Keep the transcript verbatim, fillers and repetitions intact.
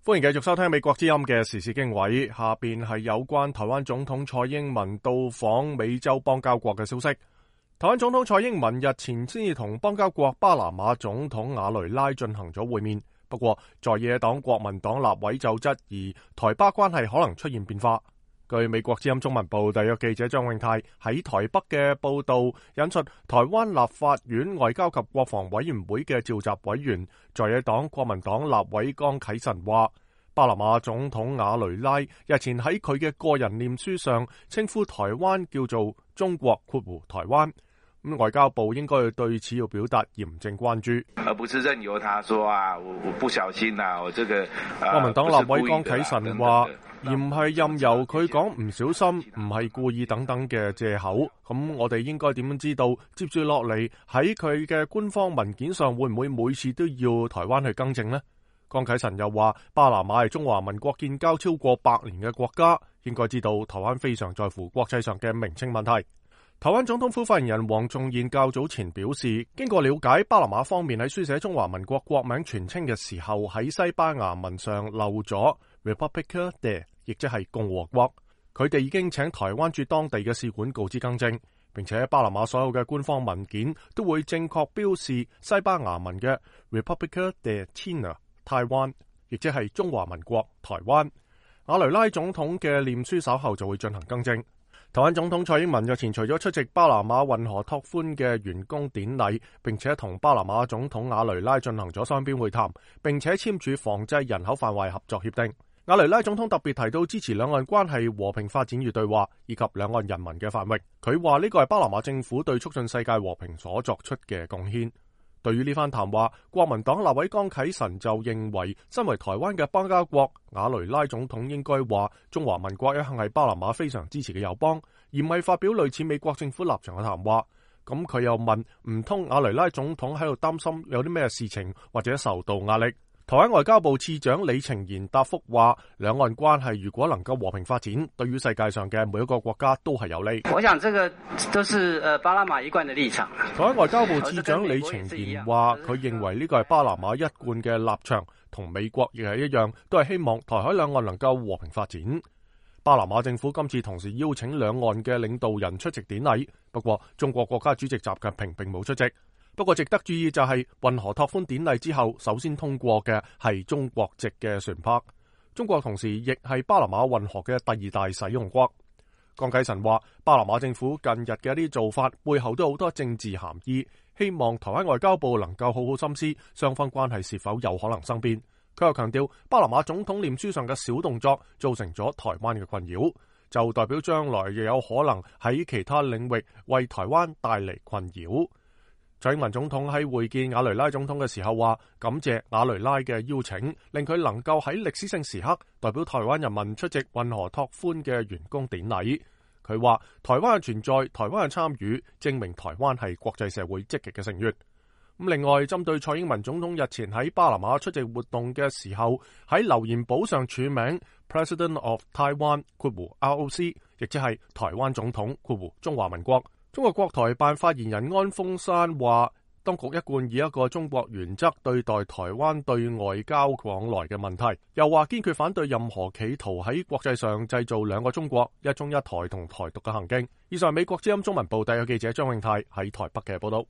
歡迎繼續收聽美國之音嘅時事經緯，下邊係有關台灣總統蔡英文到訪美洲邦交國嘅消息。台灣總統蔡英文日前先至同邦交國巴拿馬總統瓦雷拉進行咗會面，不過在野黨國民黨立委就質疑台巴關係可能出現變化。據美國之音中文部特約記者張永泰喺台北嘅報道，引述台灣立法院外交及國防委員會嘅召集委員在野黨國民黨立委江啟臣話，巴拿馬總統瓦雷拉日前喺佢嘅個人臉書上稱呼台灣叫做中國括弧台灣，咁外交部應該要對此要表達嚴正關注，而不是任由他說啊，我我不小心啊，我這個國民黨立委江啟臣話，而唔係任由佢講唔小心、唔係故意等等嘅借口。咁我哋應該點樣知道接住落嚟喺佢嘅官方文件上會唔會每次都要台灣去更正呢？江啟臣又話，巴拿馬係中華民國建交超過百年嘅國家，應該知道台灣非常在乎國際上嘅名稱問題。台灣總統府發言人黃仲彥較早前表示，經過了解，巴拿馬方面喺書寫中華民國國名全稱嘅時候，喺西班牙文上漏咗 República de， 亦即係共和國。佢哋已經請台灣駐當地嘅使館告知更正，並且巴拿馬所有嘅官方文件都會正確標示西班牙文嘅 República de China 台灣，亦即係中華民國台灣。瓦雷拉總統嘅臉書稍後就會進行更正。台灣總統蔡英文日前除咗出席巴拿馬運河拓寬嘅完工典禮，並且同巴拿馬總統瓦雷拉進行咗雙邊會談，並且簽署防制人口販賣合作協定。瓦雷拉總統特別提到支持兩岸關係和平發展與對話，以及兩岸人民嘅繁榮。佢話呢個係巴拿馬政府對促進世界和平所作出嘅貢獻。對於呢番談話，國民黨立委江啟臣就認為，身為台灣嘅邦交國，瓦雷拉總統應該話中華民國一向係巴拿馬非常支持嘅友邦，而唔係發表類似美國政府立場嘅談話。咁佢又問，唔通瓦雷拉總統喺度擔心有啲咩事情或者受到壓力？台灣外交部次長李晴賢答覆話，兩岸關係如果能夠和平發展，對於世界上嘅每一個國家都係有利。我想這個都是誒巴拿馬一貫嘅立場。台灣外交部次長李晴賢話，佢認為呢個係巴拿馬一貫嘅立場，同美國亦係一樣，都係希望台海兩岸能夠和平發展。巴拿馬政府今次同時邀請兩岸嘅領導人出席典禮，不過中國國家主席習近平並冇出席。不過值得注意就係運河拓寬典禮之後，首先通過嘅係中國籍嘅船舶。中國同時亦係巴拿馬運河嘅第二大使用國。江啟臣話，巴拿馬政府近日嘅一啲做法背後都有好多政治含義，希望台灣外交部能夠好好深思雙方關係是否有可能生變。佢又強調，巴拿馬總統臉書上嘅小動作造成咗台灣嘅困擾，就代表將來亦有可能喺其他領域為台灣帶嚟困擾。蔡英文總統喺會見瓦雷拉總統嘅時候話，感謝瓦雷拉嘅邀請，令佢能夠喺歷史性時刻代表台灣人民出席運河拓寬嘅完工典禮。佢話，台灣嘅存在、台灣嘅參與，證明台灣係國際社會積極嘅成員。咁另外，針對蔡英文總統日前喺巴拿馬出席活動嘅時候，喺留言簿上署名 President of Taiwan 括弧 R O C， 亦即係台灣總統括弧中華民國。中國國台辦發言人安峰山話，當局一貫以一個中國原則對待台灣對外交往來嘅問題，又話堅決反對任何企圖喺國際上製造兩個中國、一中一台同台獨嘅行徑。以上係美國之音中文部特約記者張永泰喺台北嘅報道。